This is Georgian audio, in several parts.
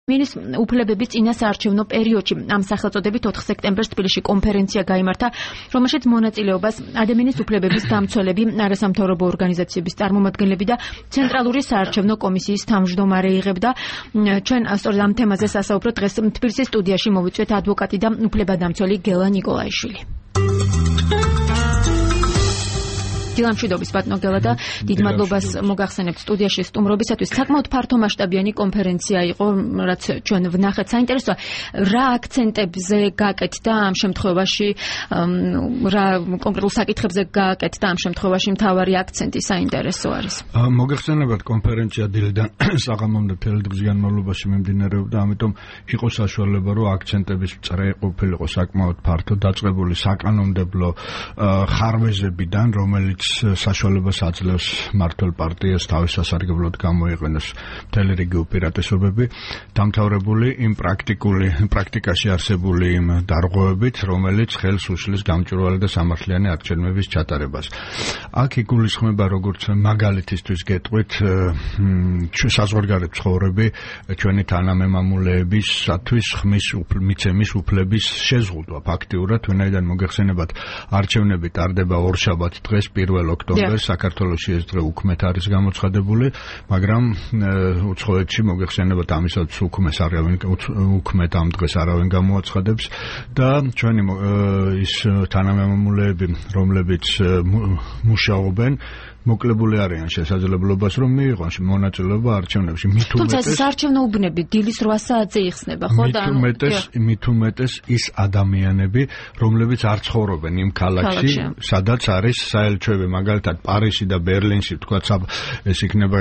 მინის უფლებების წინასაარჩევნო პერიოდში ამ სახელწოდებით 4 სექტემბერს თბილისში კონფერენცია გაიმართა, რომელშიც მონაწილეობას ადამიანის უფლებების დამცველები, არასამთავრობო ორგანიზაციების წარმომადგენლები და ცენტრალური საარჩევნო კომისიის თავმჯდომარე იღებდა. ჩვენ სწორედ ამ თემაზე სასაუბრო დღეს თბილისის სტუდიაში მოვიწვიეთ ადვოკატი და უფლებადამცველი გელა ნიკოლაიშვილი. დილამშვიდობის ბატონო გელა და დიდ მადლობას მოგახსენებთ სტუდიაში სტუმრობისათვის. საკმაოდ ფართომასშტაბიანი კონფერენცია იყო, რაც ჩვენ ვნახეთ. საინტერესოა, რა აქცენტებზე გაკეთდა ამ შემთხვევაში, რა კონკრეტულ საკითხებზე გაკეთდა ამ შემთხვევაში მთავარი აქცენტი საინტერესო არის. მოგახსენებათ, კონფერენცია დილიდან საღამომდე მთელი დღის განმავლობაში მიმდინარეობდა, ამიტომ იყო საშუალება, რომ აქცენტების წრე ყოფილიყო საკმაოდ ფართო, დაწყებული საკანონმდებლო ხარვეზებიდან, რომელიც საშუალებას აძლევს მმართველ პარტიას თავის სასარგებლოდ გამოიყენოს მთელი რიგი უპირატესობები, დამთავრებული იმ პრაქტიკაში არსებული იმ დარღვევებით, რომელიც ხელს უშლის გამჭვირვალე და სამართლიანი არჩევნების ჩატარებას. აქ იგულისხმება, როგორც მაგალითისთვის გეტყვით, საზღვარგარეთ ცხოვრები ჩვენი თანამემამულეებისათვის ხმის მიცემის უფლების შეზღუდვა ფაქტიურად, ვინაიდან მოგეხსენებათ, არჩევნები ტარდება ორშაბათს დღეს 1 ოქტომბერს საქართველოში ეს დღე უქმეთ არის გამოცხადებული, მაგრამ უცხოეთში მოგეხსენებათ ამისაც უქმეთ ამ დღეს არავინ გამოაცხადებს და ჩვენი ის თანამემამულეები, რომლებიც მუშაობენ, მოკლებული არიან შესაძლებლობას, რომ მიიღონ მონაწილეობა არჩევნებში. თუმცა საარჩევნო უბნები დილის 8 საათზე იხსნება, ხო და მით უმეტეს ის ადამიანები, რომლებიც არ ცხოვრობენ იმ ქალაქში, სადაც არის საელჩოები, მაგალითად პარიზში და ბერლინში, თქვათ ეს იქნება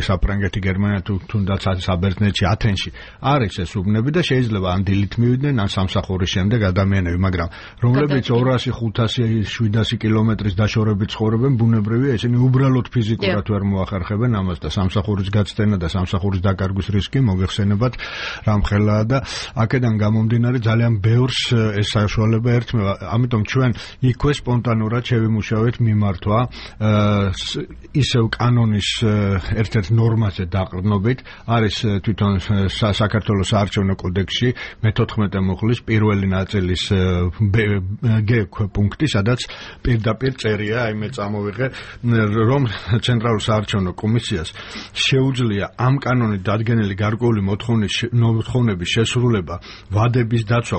საფრანგეთი, გერმანია, თუნდაც საბერძნეთში, ათენში. არის ეს უბნები და შეიძლება ან დილით მივიდნენ, ან სამსახურის შემდეგ ადამიანები, მაგრამ რომლებიც 200, 500, 700 კილომეტრის დაშორებით ცხოვრობენ, ბუნებრივია ისინი უბრალოდ ფიზიკურად ვერ მოახერხებენ ამას და სამსახურის გაცდენა და სამსახურის დაკარგვის რისკი მოგეხსენებათ რამხელაა და აქედან გამომდინარე ძალიან ბევრს ეს საშუალება ერთმევა. ამიტომ ჩვენ იქვე სპონტანურად შევიმუშავეთ მიმართვა ისევ კანონის ერთ-ერთ ნორმაზე დაყრდნობით, არის თვითონ საქართველოს საარჩევნო კოდექსში მე-14 მუხლის პირველი ნაწილის G პუნქტი, სადაც პირდაპირ წერია, აი მე წამოვიღე, რომ ცენტრალურ საარჩევნო კომისიას შეუძლია ამ კანონით დადგენილი გარკვეული მოთხოვნების შესრულება, ვადების დაცვა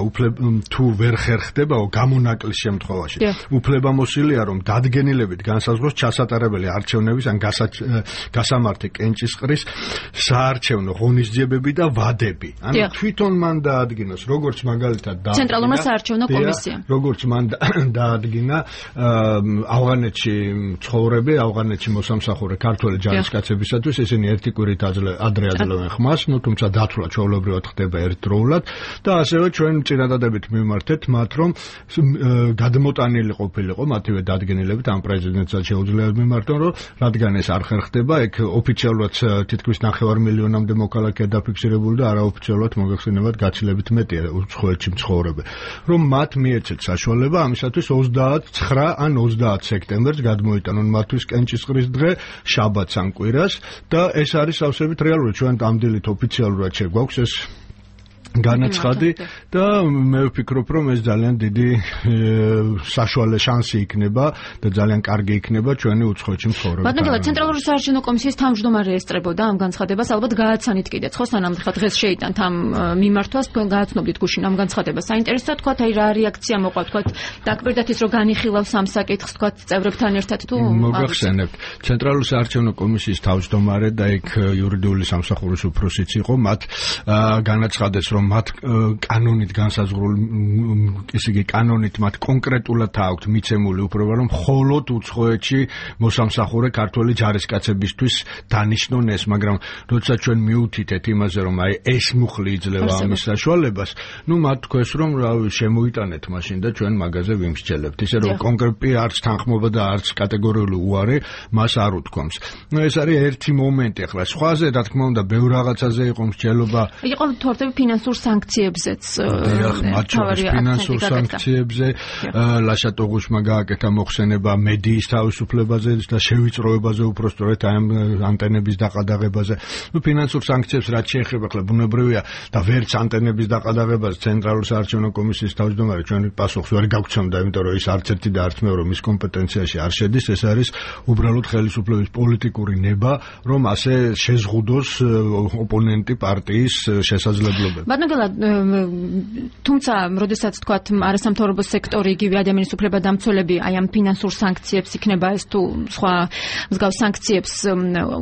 თუ ვერ ხერხდებაო გამონაკლის შემთხვევაში. უფლებამოსილია, რომ დადგენილებით განსაზღვროს ჩასატარებელი არჩევნების ან გასამართი კენჭისყრის საარჩევნო ღონისძიებები და ვადები. ანუ თვითონ მან დაადგინოს, როგორც მაგალითად ცენტრალურმა საარჩევნო კომისიამ. როგორც მან დაადგინა ავღანეთში ცხოვრები, ავღანეთში მოსამსახურე ქართველი ჯარისკაცებისათვის, ისინი ერთი კვირით ადრე აძლევენ ხმას, თუმცა დათვლა ჩვეულებრივად ხდება ერთდროულად და ასევე ჩვენ წინადადებით მივმართეთ მათ, რომ გადმოტანილი ყოფილიყო მათივე დადგენილებით ამ პრეზიდენტსაც შეუძლია მიმართონ, რომ რადგან ეს არ ხერხდება, ეგ ოფიციალურად თითქმის 9 მილიონამდე მოქალაქეა დაფიქსირებული და არაოფიციალურად მოგეხსენებათ გაცილებით მეტია უცხოეთში მცხოვრები, რომ მათ მიეცეთ საშუალება ამისათვის 29 ან 30 სექტემბერს გადმოიტანონ მათთვის კენჭისყრის დღე, შაბათს ან კვირას და ეს არის სავსებით რეალური. ჩვენ ამ დილით ოფიციალურად შეგვაქვს ეს განაცხადი და მე ვფიქრობ, რომ ეს ძალიან დიდი საშუალო შანსი იქნება და ძალიან კარგი იქნება ჩვენი უცხოეთში მცხოვრები. ბატონო, ცენტრალური საარჩევნო კომისიის თავმჯდომარე ესწრებოდა ამ განცხადებას, ალბათ გააცანით კიდეც, ხო, სანამ დღეს შეიტანთ ამ მიმართვას, თქვენ გააცნობდით გუშინ ამ განცხადებას. საინტერესოა, თქვათ, აი რა რეაქცია მოყვა, თქვათ, დაკპირდათ ის, რომ განიხილავს ამ საკითხს, თქვათ, წევრებთან ერთად თუ მოგახსენებთ, ცენტრალური საარჩევნო კომისიის თავმჯდომარე და იქ იურიდიული სამსახურის უფროსიც იყო, მათ განაცხადეს, რომ მათ კანონით განსაზღვრული, ისე იგი კანონით მათ კონკრეტულად აქვთ მიცემული უფლება, რომ მხოლოდ უცხოეთში მოსამსახურე ქართველი ჯარისკაცებისთვის დანიშნონ ეს, მაგრამ როცა ჩვენ მიუთითეთ იმაზე, რომ აი ეს მუხლი იძლევა ამის საშუალებას, მათ თქვეს, რომ შემოიტანეთ მაშინ და ჩვენ მაგაზე ვიმსჯელებთ. ისე რომ კონკრეტი არც თანხმობა და არც კატეგორიული უარი მას არ უთქვამს. ეს არის ერთი მომენტი, ახლა სხვაზე რა თქმა უნდა ბევრ რაღაცაზე იყო მსჯელობა. იყო თორემ ფინანსური ფინანსურ სანქციებზეც ფინანსურ სანქციებზე ლაშატოღუშმა გააკეთა მოხსენება მედიის თავისუფლებაზე და შევიწროებაზე უпростоრეთ ამ ანტენების დაყადაღებაზე. ფინანსურ სანქციებს რაც შეეხება ხლა ბუნებრივია და ვერც ანტენების დაყადაღებას ცენტრალური საარჩევნო კომისიის თავმჯდომარე ჩვენ პასუხს ვერ გავცემდა, იმიტომ რომ ის არც ერთი და არც მეორე მის კომპეტენციაში არ შედის. ეს არის უბრალოდ ხელისუფლების პოლიტიკური ნება, რომ ასე შეზღუდოს ოპონენტი პარტიის შესაძლებლობები. ბატონო, თუმცა, როდესაც თქვათ არასამთავრობო სექტორი, იგივე ადამიანის უფლებადამცველები აი ამ ფინანსურ სანქციებს იქნება ეს თუ სხვა მსგავს სანქციებს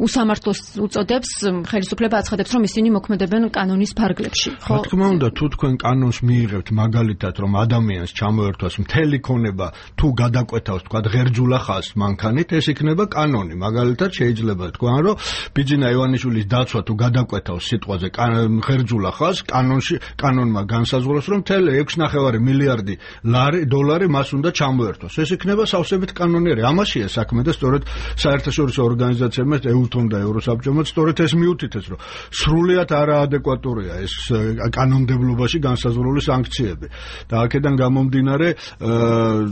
უსამართლოს უწოდებს, ხელისუფლება აცხადებს, რომ ისინი მოქმედებენ კანონის ფარგლებში. ხო, რა თქმა უნდა, თუ თქვენ კანონს მიიღებთ მაგალითად, რომ ადამიანს ჩამოერთვას მთელი ქონება თუ გადაკვეთავს, თქვათ, ღერძულა ხაზს მანქანით, ეს იქნება კანონი. მაგალითად, შეიძლება თქვან, რომ ბიძინა ივანიშვილის დაცვა თუ გადაკვეთავს სიტყვაზე ღერძულა ხაზს, კანონმა განსაზღვროს, რომ მთელი 6.5 მილიარდი დოლარი მას უნდა ჩამოერთოს. ეს იქნება სავსებით კანონიერი. ამაშია საქმე და სწორედ საერთაშორისო ორგანიზაციებმა, ეუთომ და ევროსაბჭომ სწორედ ეს მიუთითეს, რომ სრულიად არაადეკვატურია ეს კანონმდებლობაში განსაზღვრული სანქციები. და აქედან გამომდინარე,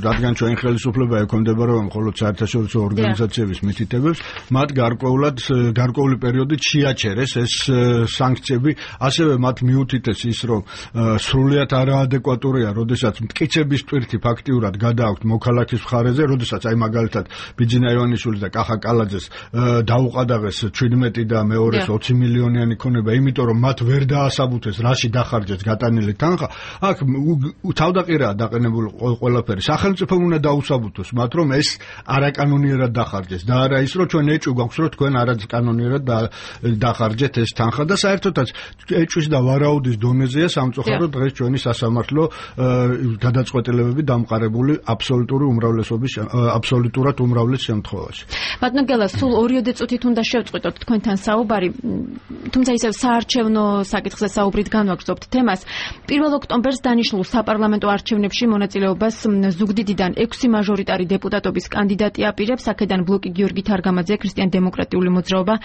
რადგან ჩვენ ხელისუფლება ექვემდებარება მხოლოდ საერთაშორისო ორგანიზაციების მითითებებს, მათ გარკვეული პერიოდით შეაჩერეს ეს სანქციები, ასევე მათ მიუთითეს ის, რომ სრულიად არაადეკვატურია, როდესაც მტკიცების ტვირთი ფაქტიურად გადააქვთ მოქალაქის მხარეზე, როდესაც აი მაგალითად ბიძინა ივანიშვილის და კახა კალაძეს დაუყადაღეს 17 და მეორეს 20 მილიონიანი ქონება, იმიტომ რომ მათ ვერ დაასაბუთეს რაში დახარჯეს გატანილი თანხა. აქ თავდაყირაა დაყენებული ყველაფერი. სახელმწიფომ უნდა დაუსაბუთოს მათ, რომ ეს არაკანონიერად დახარჯეს და არა ის, რომ ჩვენ ეჭვი გვაქვს, რომ თქვენ არაკანონიერად დახარჯეთ ეს თანხა და საერთოდაც ეჭვის და ვარაუდის დონეზეა სამწუხაროდ დღეს ჩვენი სასამართლო გადაწყვეტილებები დამყარებული აბსოლუტურად უმრავლეს შემთხვევაში. ბატონო გელა, სულ 2 წუთით უნდა შევწყვიტოთ თქვენთან საუბარი, თუმცა ისევ საარჩევნო საკითხზე საუბრით განვაგრძობთ თემას. 1 ოქტომბერს დანიშნულ საპარლამენტო არჩევნებში მონაწილეობას ზუგდიდიდან 6 მაჟორიტარი დეპუტატობის კანდიდატი აპირებს. აქედან ბლოკი გიორგი თარგამაძე, ქრისტიან-დემოკრატიული მოძრაობა,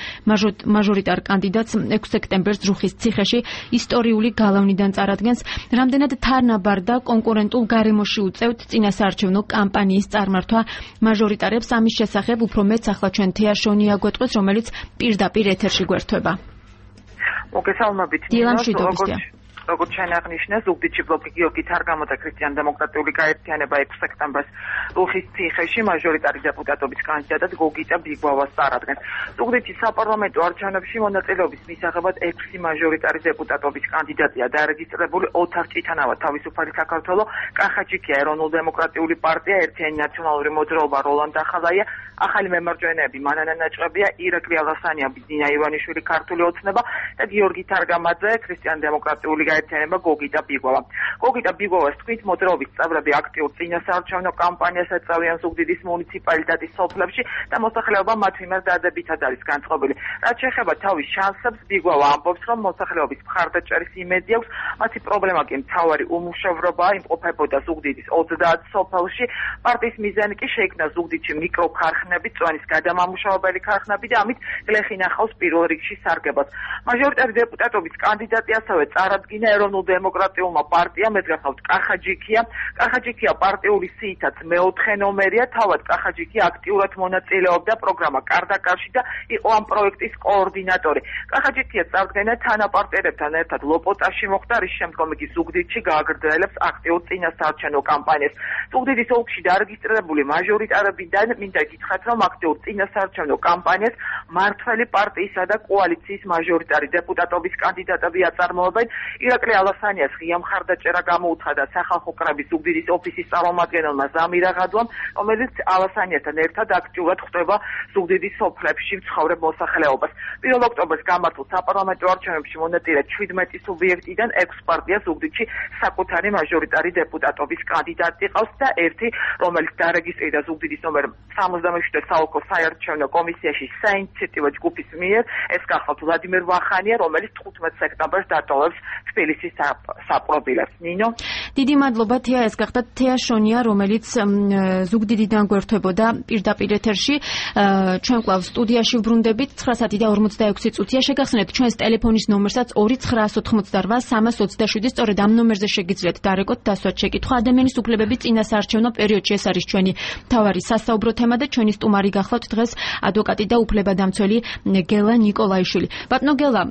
მაჟორიტარ კანდიდატს 6 სექტემბერს ჯუხის ციხეში ისტორიული გალავნიდან წარადგენს. რამდენად თანაბარ და კონკურენტულ გარემოში უწევთ წინასაარჩევნო კამპანიის წარმართვა მაჟორიტარებს? ამის შესახებ უფრო მეც ახლა ჩვენ თეა შონია გვეტყვის, რომელიც პირდაპირ ეთერში გვერდება. მოგესალმებით. როგორც ჩვენ აღნიშნეს, ზუგდიდში ბლოკი გიორგი თარგამაძე ქრისტიან-დემოკრატიული გაერთიანება 6 სექტემბერს რუხის ციხეში მაჟორიტარი დეპუტატობის კანდიდატად გოგიტა ბიგვავას წარადგენს. ზუგდიდში საპარლამენტო არჩევნებში მონაწილეობის მისაღებად 6 მაჟორიტარი დეპუტატობის კანდიდატია დარეგისტრირებული. ოთარ ჭიტანავა თავისუფალი საქართველო, კახაჯიქია ეროვნულ-დემოკრატიული პარტია, ერთიანი ნაციონალური მოძრაობა როლანდ ახალაია, ახალი მემარჯვენეები მანანა ნაჭყებია, ირაკლი ალასანია, ბიძინა ივანიშვილი ქართული ოცნება და გიორგი თარგამაძე ქრისტიან-დემოკრატიული გაერთიანება გოგიტა ბიგვავა. გოგიტა ბიგვავას თქმით, მოძრაობის წევრები აქტიურ წინასაარჩევნო კამპანიას ეწევიან ზუგდიდის მუნიციპალიტეტის სოფლებში და მოსახლეობა მათ მიმართ დადებითად არის განწყობილი. რაც შეეხება თავის შანსებს, ბიგვავა ამბობს, რომ მოსახლეობის მხარდაჭერის იმედი აქვს, მათი პრობლემა კი მთავარი უმუშევრობაა, იმყოფებოდა ზუგდიდის 30 სოფელში. პარტიის მიზანი კი შეიქმნა ზუგდიდში მიკროქარხნები, წვენის გადამამუშავებელი ქარხნები და ამით გლეხი ნახავს პირველ რიგში სარგებას. მაჟორიტარი დეპუტატობის კანდიდატი ასევე წარადგინა ეროვნულ-დემოკრატიულმა პარტიამ, ეს გახავთ კახაჯიქია. კახაჯიქია პარტიული სიითაც მეოთხე ნომერია, თავად კახაჯიქია აქტიურად მონაწილეობდა პროგრამა კარდაკარში და იყო ამ პროექტის კოორდინატორი. კახაჯიქია წარდგენა თანაპარტიერებთან ერთად ლოპოტაში მოხდა, რის შემდგომ იგი ზუგდიდში გააგრძელებს აქტიურ წინასაარჩევნო კამპანიას. ზუგდიდის ოლქში დარეგისტრირებული მაჟორიტარებიდან მინდა გითხრათ, რომ აქტიურ წინასაარჩევნო კამპანიას მართველი პარტიისა და კოალიციის მაჟორიტარი დეპუტატობის კანდიდატები აწარმოებენ. ირაკლი ალასანიას ღია მხარდაჭერა გამოუცხადა სახალხო კრების ზუგდიდის ოფისის წარმომადგენელმა ზამირ აღადვამ, რომელიც ალასანიასთან ერთად აქტიურად ხვდება ზუგდიდის სოფლებში მცხოვრებ მოსახლეობას. 1 ოქტომბერს გამართულ საპარლამენტო არჩევნებში მონაწილე 17 სუბიექტიდან 6 პარტია ზუგდიდში საკუთარი მაჟორიტარი დეპუტატობის კანდიდატი ყავს და ერთი, რომელიც დარეგისტრირდა ზუგდიდის ნომერ 77 საოლქო საარჩევნო კომისიაში საინიციატივო ჯგუფის მიერ, ეს გახლავთ ვლადიმერ ვახანია, რომელიც 15 სექტემბერს დატოვებს თბილისის საპრობილებს. ნინო. დიდი მადლობა თეა, ეს გახდა თეა შონია, რომელიც ზუგდიდიდან გვერდებოდა პირდაპირ ეთერში. ჩვენ კვლავ სტუდიაში ვბრუნდებით 9:46 წუთია. შეგახსენებთ ჩვენს ტელეფონის ნომერსაც 2988-327. სწორედ ამ ნომერზე შეგიძლიათ დარეკოთ დასვათ შეკითხვა. ადამიანის უფლებების წინასაარჩევნო პერიოდში ეს არის ჩვენი მთავარი სასაუბრო თემა და ჩვენი სტუმარი გახლავთ დღეს ადვოკატი და უფლებადამცველი გელა ნიკოლაიშვილი. ბატონო გელა,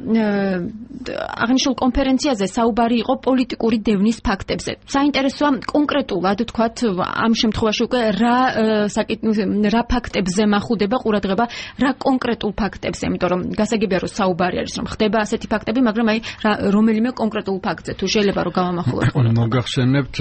აღნიშნულ კონფერენციაზე საუბარი იყო პოლიტიკური დევნის ფაქტებზე. საინტერესოა კონკრეტულად თქვათ ამ შემთხვევაში უკვე რა ფაქტებზე მახუდება ყურადღება, რა კონკრეტულ ფაქტებზე, იმიტომ რომ გასაგებია რომ საუბარი არის რომ ხდება ასეთი ფაქტები, მაგრამ აი რომელიმე კონკრეტულ ფაქტზე თუ შეიძლება რომ გავამახვილოთ ყურადღება. მოგახსენებთ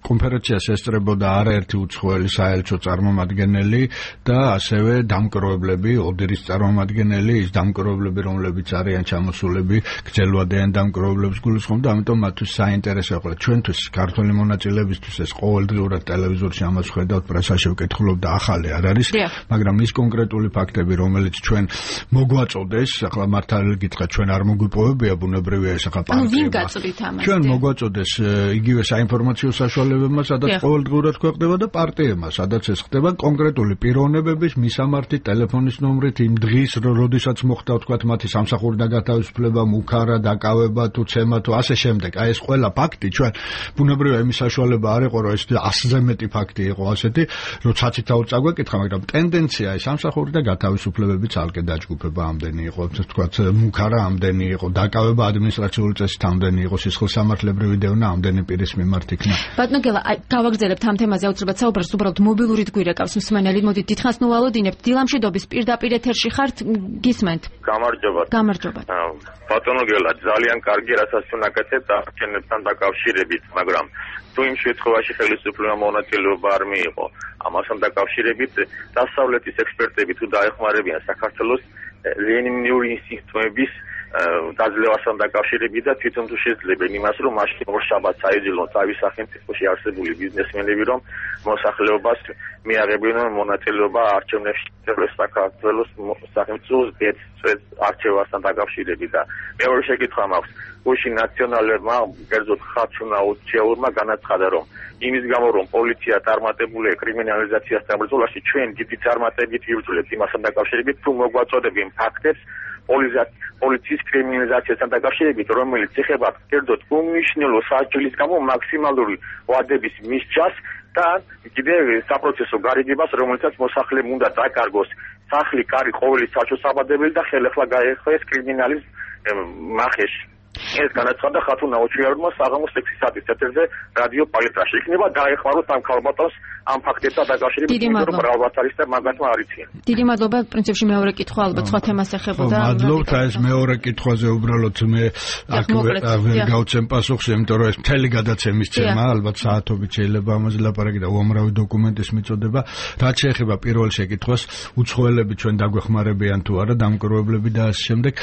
კონფერენციას ესწრებოდა არაერთი უცხოელი საელჩო წარმომადგენელი და ასევე დამკვირვებლები, ოდერის წარმომადგენელი, ის დამკვირვებლები, რომლებიც არიან ჩამოსულები, გრძელვადიან დამკვირვებლებს გულისხმობ და ამიტომ მათთვის საინტერესო იყო. ჩვენთვის ქართული მონაწილეებისთვის ეს ყოველდღიურად ტელევიზორში ამას ხედავთ, პრესაში ვკითხულობ და ახალი არ არის, მაგრამ ის კონკრეტული ფაქტები, რომელიც ჩვენ მოგვაწოდეს, ახლა მართალი გითხრათ, ჩვენ არ მოგვიპოვებია, ბუნებრივია ეს ახლა პარტია. ჩვენ მოგვაწოდეს იგივე საინფორმაციო საშუალებებმა, სადაც ყოველდღიურად ქვეყნდება და პარტიებმა, სადაც ეს ხდება კონკრეტული პიროვნებების მისამართით, ტელეფონის ნომრით, იმ დღის, როდესაც მოხდა თქვათ მათი სამსახურიდან გათავისუფლება, მუქარა, დაკავება თუ ცემა თუ ასე შემდეგ. აი ეს ყველა ფაქტი ჩვენ ბუნებრივია იმის საშუალება არ იყო, რომ ეს 100-ზე მეტი ფაქტი იყო ასეთი, რომ ცაცითაოდ წაგვეკითხა, მაგრამ ტენდენცია ის სამსახურიდან გათავისუფლებები ცალკე დაჯგუფება ამდენი იყო, თქვათ მუქარა ამდენი იყო, დაკავება ადმინისტრაციული წესით ამდენი იყო, სისხლსამართლებრივი დევნა ამდენი პირის მიმართ იქნა. ბატონო გელა, აი გავაგრძელებთ ამ თემაზე აუცილებლად საუბარს, უბრალოდ მობილურით გვირეკავს მსმენელი. მოდით დიდხანს ნუ ვალოდინებთ. დილამშვიდობის პირდაპირ ეთერში ხართ, გისმენთ. გამარჯობა. ბატონო გელა, ძალიან კარგი რასაც უნაკეთებთ არჩევნებთან დაკავშირებით, მაგრამ თუ იმ შემთხვევაში ხელისუფლებამ მონაწილეობა არ მიიღო, ამასთან დაკავშირებით დასავლეთის ექსპერტები თუ დაეხმარებიან საქართველოს ლენინური ინსტინქტების დაძლევასთან დაკავშირებით და თვითონ თუ შეძლებენ იმას, რომ მაშინ ორშაბათს აიძულონ თავის სახელმწიფოში არსებული ბიზნესმენები, რომ მოსახლეობას მიაღებინონ მონაწილეობა არჩევნებში საქართველოს სახელმწიფოს არჩევასთან დაკავშირებით და მეორე შეკითხვა მაქვს. გუშინ ნაციონალებმა, კერძოდ ხარჩუნაუჩეურმა განაცხადა, რომ იმის გამო, რომ პოლიცია წარმატებულია კრიმინალიზაციასთან ბრძოლაში, ჩვენ დიდი წარმატებით ვიბრძოლებთ იმასთან დაკავშირებით, თუ მოგვაწოდებენ ფაქტებს პოლიციის კრიმინალიზაციასთან დაკავშირებით, რომელიც ეხება კერძოდ უმნიშვნელო საჭილის გამო მაქსიმალური ვადების მისჯას და კიდევ საპროცესო გარიგებას, რომელსაც მოსახლემ უნდა დაკარგოს სახლი, კარი, ყოველი საწესოებებელი და ხელახლა გაეხეს კრიმინალის მახეში. ეს განაცხადა ხათუნაუჩეურმა საღამოს 6 საათის ეთერზე რადიო პალიტრაში. იქნება დაეხმაროთ ამ ქალბატონს ამ ფაქტებთან დაკავშირებით, რომ მრავალ არის და მაგათმა არიციან. დიდი მადლობა. პრინციპში მეორე კითხვა ალბათ სხვა თემას ეხებოდა. მადლობთ, ეს მეორე კითხვაზე უბრალოდ მე აქ ვერ გავცემ პასუხს, იმიტომ რომ ეს მთელი გადაცემის თემა, ალბათ საათობით შეიძლება ამაზე ლაპარაკი და უამრავი დოკუმენტის მიწოდება. რაც შეეხება პირველ შეკითხვას, უცხოელები ჩვენ დაგვეხმარებიან თუ არა, დამკვირვებლები და ასე შემდეგ.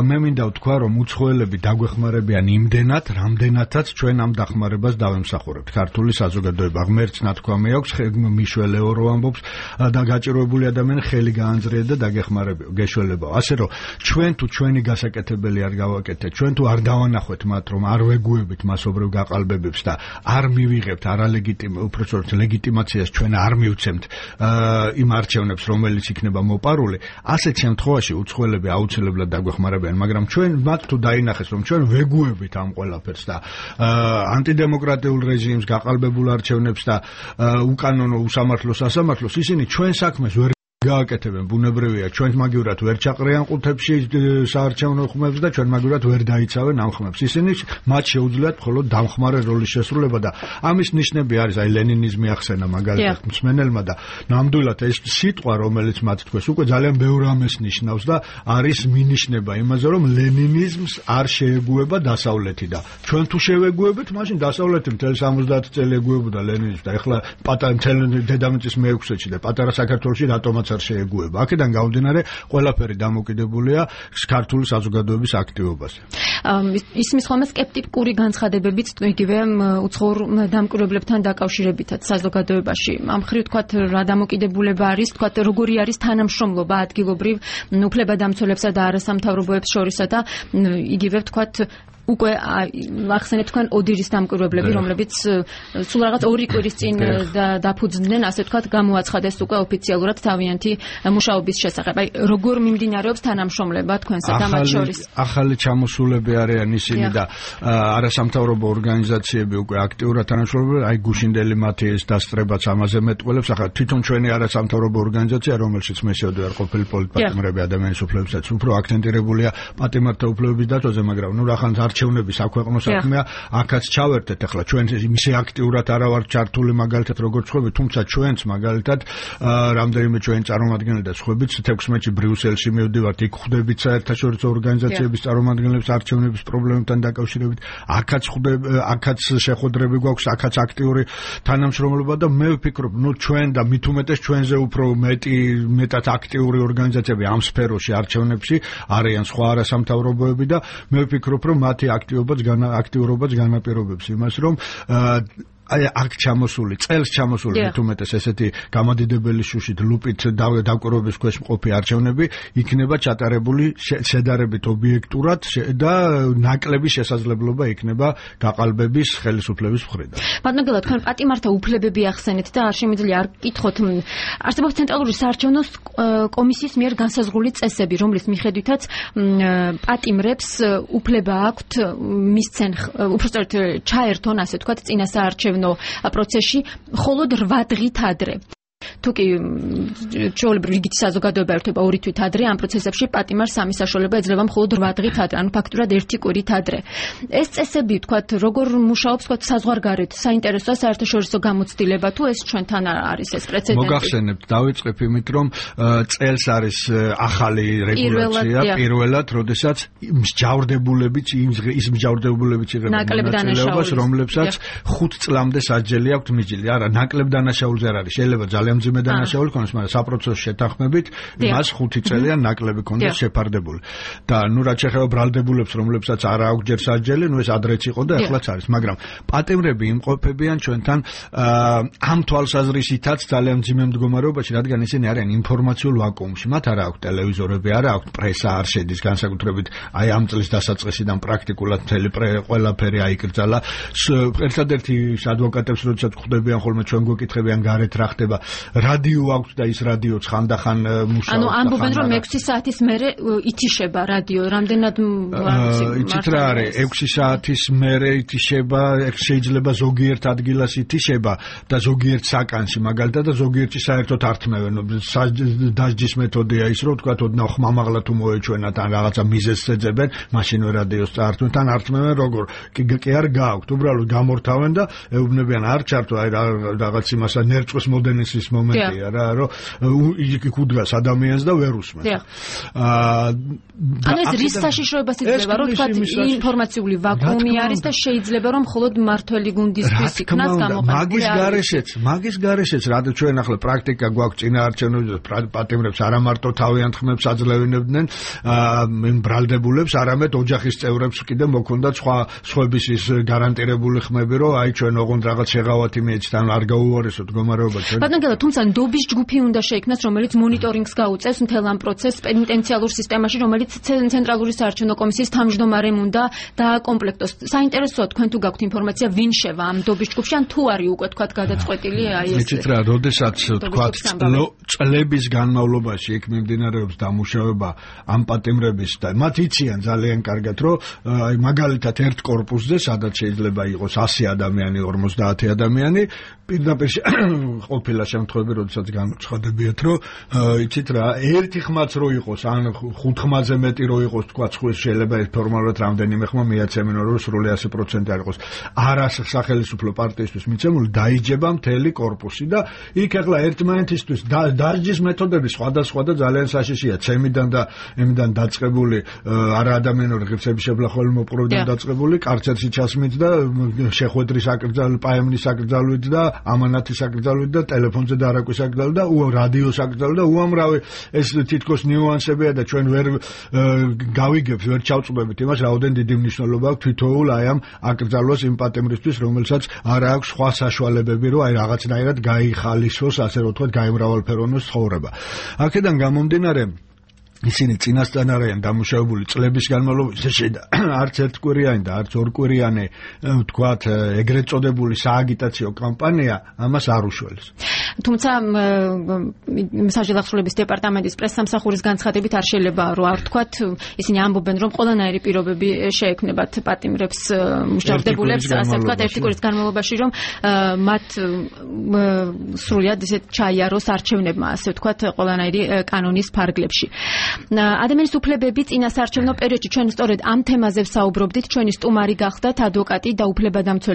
მე მინდა ვთქვა, რომ უცხოელები დაგვეხმარებიან იმდენად, რამდენადაც ჩვენ ამ დახმარებას დავემსახურებთ. ქართული საზოგადოება ღმერთს ნათქვამი აქვს, მიშველეო რო ამბობს და გაჭირვებული ადამიანი ხელი გაანძრია და გეშველებაო. ასე რომ ჩვენ თუ ჩვენი გასაკეთებელი არ გავაკეთეთ, ჩვენ თუ არ დავანახვეთ მათ, რომ არ ვეგუებით მასობრივ გაყალბებებს და არ მივიღებთ უпрочёрт ლეგიტიმაციას ჩვენ არ მივცემთ იმ არჩევნებს, რომელიც იქნება მოპარული, ასეთ შემთხვევაში უცხოელები აუცილებლად დაგვეხმარებიან, მაგრამ ჩვენ მათ თუ დაინახეს, რომ ჩვენ ვეგუებით ამ ყველაფერს და ანტიდემოკრატიულ რეჟიმს, გაყალბებულ არჩევნებს და უკანონო უსამართლოს სასამართლოს, ისინი ჩვენ საქმეს ვერ გააკეთებენ. ბუნებრივია, ჩვენ მაგივრად ვერ ჩაყრიან ყუთებში საარჩევნო ხმებს და ჩვენ მაგივრად ვერ დაიცავენ ამ ხმებს. ისინი მათ შეუძლიათ მხოლოდ დამხმარე როლის შესრულება და ამის ნიშნები არის, აი ლენინიზმი ახსენა მაგალითად მსმენელმა და ნამდვილად ეს სიტყვა, რომელიც მათ თქვეს, უკვე ძალიან ბევრ ამას ნიშნავს და არის მინიშნება იმაზე, რომ ლენინიზმს არ შეეგუება დასავლეთი და ჩვენ თუ შევეგუებით, მაშინ დასავლეთი მთელი 70 წელი ეგუებოდა ლენინიზმს და ეხლა პატარა მთელი დედამიწის მეექვსეში და პატარა საქართველოში რატომაც არ შეეგუება. აქედან გამომდინარე, ყველაფერი დამოკიდებულია ქართული საზოგადოების აქტივობაზე. ისმის ხოლმე სკეპტიკური განცხადებებიც იგივე უცხოურ დამკვირვებლებთან დაკავშირებითაც საზოგადოებაში. ამ მხრივ თქვათ რა დამოკიდებულება არის, თქვათ როგორი არის თანამშრომლობა ადგილობრივ უფლებადამცველებსა და არასამთავრობოებს შორისა და იგივე თქვათ უკვე ახსენეთ თქვენ ოდირის დამკვირვებლები, რომლებიც სულ რაღაც 2 კვირის წინ დაფუძნდნენ, ასე ვთქვათ, გამოაცხადეს უკვე ოფიციალურად თავიანთი მუშაობის შესახებ. აი, როგორ მიმდინარეობს თანამშრომლება თქვენსა და მათ შორის? ახალი ჩამოსულები არიან ისინი და არასამთავრობო ორგანიზაციები უკვე აქტიურად თანამშრომლობენ, აი გუშინდელი მათი ეს დასწრებაც ამაზე მეტყველებს. ახლა თვითონ ჩვენი არასამთავრობო ორგანიზაცია, რომელშიც მე შევდივარ ყოფილი პოლიტპატიმრები ადამიანის უფლებებსაც, უფრო აქტენტირებულია პატიმართა უფლებების დაცვაზე, მაგრამ ნუ რახან არჩევნების აქვეყნო საქმეა, აქაც ჩავერთეთ. ახლა ჩვენ ისე აქტიურად არა ვართ ჩართული მაგალითად როგორც ხვები, თუმცა ჩვენც მაგალითად რამდენიმე ჩვენი წარმომადგენელი და ხვებიც 16-ში ბრიუსელში მივდივართ, იქ ხვდებით საერთაშორისო ორგანიზაციების წარმომადგენლებს არჩევნების პრობლემებთან დაკავშირებით. აქაც შეხვედრები გვაქვს, აქაც აქტიური თანამშრომლობა და მე ვფიქრობ, ჩვენ და მით უმეტეს ჩვენზე უფრო მეტად აქტიური ორგანიზაციები ამ სფეროში არჩევნებში არიან სხვა არასამთავრობოები და მე ვფიქრობ, რომ მათი აქტიურობაც განაპირობებს იმას, რომ აი აქ ჩამოსული, წელს ჩამოსული მით უმეტეს ესეთი გამადიდებელი შუშით ლუპით დაკვირვების ქვეშ მყოფი არჩევნები იქნება ჩატარებული შედარებით ობიექტურად და ნაკლები შესაძლებლობა იქნება გაყალბების ხელისუფლების მხრიდან. ბატონო, თქვენ პატიმართა უფლებები ახსენეთ და არ შემიძლია არ გკითხოთ. არსებობს ცენტრალური საარჩევნო კომისიის მიერ განსაზღვრული წესები, რომლის მიხედვითაც პატიმრებს უფლება აქვთ მისცენ, უბრალოდ ჩაერთონ, ასე ვთქვათ, წინა საარჩევნო პროცესში მხოლოდ 8 დღით ადრე. თუკი ჩვეულებრივ რიგითი საზოგადოება ერთვება 2 თვით ადრე, ამ პროცესებში პატიმარს სამი საშუალება ეძლევა მხოლოდ 8 დღით ადრე, ანუ ფაქტურად 1 კვირით ადრე. ეს წესები, თქვათ, როგორ მუშაობს, თქვათ, საზღვარგარეთ, საინტერესოა საერთაშორისო გამოცდილება, თუ ეს ჩვენთან არის ეს პრეცედენტი? მოგახსენებთ, დავიწყებ იმით, რომ წელს არის ახალი რეგულაცია, პირველად, როდესაც მსჯავრდებულებიც იღებენ მონაწილეობას, რომლებსაც 5 წლამდე სასჯელი აქვთ მიჯილი. არა, ნაკლებ დანაშაულზე არ არის, შეიძლება ძალიან მძიმე დანაშაული ქონდეს, მაგრამ საპროცესო შეთანხმებით მას 5 წელიან ნაკლები ქონდეს შეფარდებული. და ნუ რაც შეეხება ბრალდებულებს, რომლებსაც არ აქვს ჯერ სასჯელი, ნუ ეს ადრეც იყო და ახლაც არის, მაგრამ პატიმრები იმყოფებიან ჩვენთან ამ თვალსაზრისითაც ძალიან მძიმე მდგომარეობაში, რადგან ისინი არიან ინფორმაციულ ვაკუუმში. მათ არ აქვს ტელევიზორები, არ აქვს პრესა, არ შედის განსაკუთრებით აი ამ წლის დასაწყისიდან პრაქტიკულად მთელი ყველაფერი აიკრძალა. ერთადერთი ადვოკატებს როდესაც ხვდებიან ხოლმე ჩვენ გვეკითხებიან გარეთ რა ხდება, რადიო აქვს და ის რადიოც ხანდახან მუშაობს. ანუ ამბობენ, რომ 6 საათის მერე ითიშება რადიო, რამდენად იცით რა არის, 6 საათის მერე ითიშება, შეიძლება ზოგიერთ ადგილას ითიშება და ზოგიერთ საკანში მაგალითად და ზოგიერთი საერთოდ ართმევენ. დასჯის მეთოდია ის, რომ თქვათ, ოდნავ ხმამაღლა თუ მოეჩვენათ ან რაღაცა მიზეზს ეძებენ, მაშინვე რადიოს წაართმევენ, თან ართმევენ როგორ? კი არ გააქვთ, უბრალოდ გამორთავენ და ეუბნებიან არ ჩართო, აი რაღაც იმასა ნერწყვის მოდენისის მომენტია რა, რომ იქ უდგას ადამიანს და ვერ უსმენს. ანუ ეს რის საშიშროებას იძლევა, რომ თქვათ ინფორმაციული ვაკუუმი არის და შეიძლება რომ მხოლოდ მართველი გუნდისთვის იქნას გამოყენებული. მაგის გარეშეც რა ჩვენ ახლა პრაქტიკა გვაქვს წინაარჩევნებში პატიმრებს არა მარტო თავიანთ ხმებს აძლევინებდნენ ბრალდებულებს, არამედ ოჯახის წევრებს კიდე მოქონდათ სხვების ის გარანტირებული ხმები, რომ აი ჩვენ ოღონდ რაღაც შეღავათი მიეჩით, ან არ გაუვარესოთ მდგომარეობა ჩვენ. ბატონო, თუმცა ნდობის ჯგუფი უნდა შეიქმნას, რომელიც მონიტორინგს გაუწევს მთელ ამ პროცესს პენიტენციალურ სისტემაში, რომელიც ცენტრალური საარჩევნო კომისიის თავმჯდომარემ უნდა დააკომპლექტოს. საინტერესოა თქვენ თუ გაქვთ ინფორმაცია, ვინ შევა ამ ნდობის ჯგუფში, ან თუ არის უკვე თქვათ გადაწყვეტილი აი ეს. იცით რა, როდესაც თქვათ წლების განმავლობაში იქ მიმდინარეობს დამუშავება ამ პატიმრების და მათ იციან ძალიან კარგად, რომ აი მაგალითად ერთ კორპუსზე, სადაც შეიძლება იყოს 100 ადამიანი, 50 ადამიანი, პირდაპირ ყოფილა შემთხვევები, როდესაც განუცხადებიათ, რომ იცით რა, ერთი ხმაც რო იყოს, ან 5 ხმაზე მეტი რო იყოს, თქვა, შეიძლება ფორმალურად რამდენიმე ხმა მიაცემენ, რომ სრული 100% არ იყოს. არა სახელმწიფო პარტიისთვის მიცემული, დაიჯება მთელი კორპუსი და იქ ახლა ერთმანეთისთვის დასჯის მეთოდები სხვადასხვა და ძალიან საშიშია. ცემიდან და ემიდან დაწყებული არა ადამიანური ღირსების შევლახველი მოპყრობიდან დაწყებული, კარცერში ჩასმით და შეხვედრის აკრძალვით, პაემნის აკრძალვით და ამანათის აკრძალვით და ტელეფონზე მოლაპარაკების აკრძალვა და რადიოს აკრძალვა და უამრავი ეს თითქოს ნიუანსებია და ჩვენ ვერ გავიგებთ, ვერ ჩავწვდებით იმას, რაოდენ დიდი მნიშვნელობა აქვს თითოეულ აი ამ აკრძალვას იმ პატიმრისთვის, რომელსაც არ აქვს სხვა საშუალებები, რომ აი რაღაცნაირად გაიხალისოს, ასე რომ ვთქვათ, გაემრავალფეროვნოს ცხოვრება. აქედან გამომდინარე ისინი წინასწარ არიან დამუშავებული წლების განმავლობაში არც ერთკვირიანი და არც ორკვირიანი ვთქვათ ეგრეთ წოდებული სააგიტაციო კამპანია ამას არ უშველს. თუმცა საჯელახსრულების დეპარტამენტის პრესსამსახურის განცხადებით არ შეიძლება რომ არ ვთქვათ ისინი ამბობენ რომ ყველანაირი პირობები შეექმნებათ პატიმრებს მუშავდებულებს ასე ვთქვათ ერთი კვირის განმავლობაში რომ მათ სრულად ისე ჩაიაროს არჩევნებმა ასე ვთქვათ ყველანაირი კანონის ფარგლებში. ადამიანის უფლებები წინასაარჩევნო პერიოდში ჩვენ სწორედ ამ თემაზე ვსაუბრობდით ჩვენი სტუმარი გახდათ ადვოკატი და უფლებადამცველი